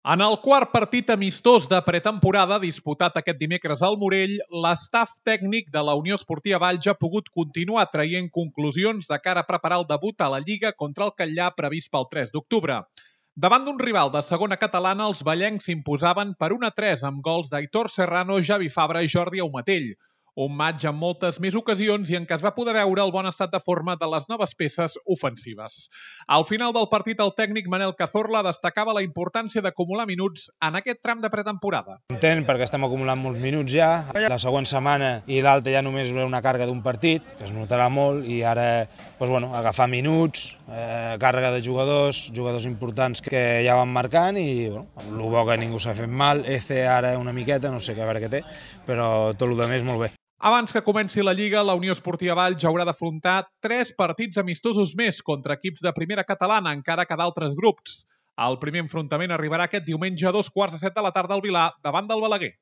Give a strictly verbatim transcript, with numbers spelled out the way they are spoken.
En el quart partit amistós de pretemporada disputat aquest dimecres al Morell, l'estaf tècnic de la Unió Esportiva Valls ha pogut continuar traient conclusions de cara a preparar el debut a la Lliga contra el Catllar previst pel tres d'octubre. Davant d'un rival de segona catalana, els vallencs s'imposaven per un a tres amb gols d'Aitor Serrano, Javi Fabra i Jordi Aumatell. Un matx amb moltes més ocasions i en què es va poder veure el bon estat de forma de les noves peces ofensives. Al final del partit, el tècnic Manel Cazorla destacava la importància d'acumular minuts en aquest tram de pretemporada. Content perquè estem acumulant molts minuts ja. La següent setmana i l'altra ja només una càrrega d'un partit, que es notarà molt, i ara doncs, bueno, agafar minuts, eh, càrrega de jugadors, jugadors importants que ja van marcant i bueno, el bo que ningú s'ha fet mal, Eze ara una miqueta, no sé què a veure què té, però tot el que més molt bé. Abans que comenci la Lliga, la Unió Esportiva Valls haurà d'afrontar tres partits amistosos més contra equips de primera catalana, encara que d'altres grups. El primer enfrontament arribarà aquest diumenge a dos quarts de set de la tarda al Vilar, davant del Balaguer.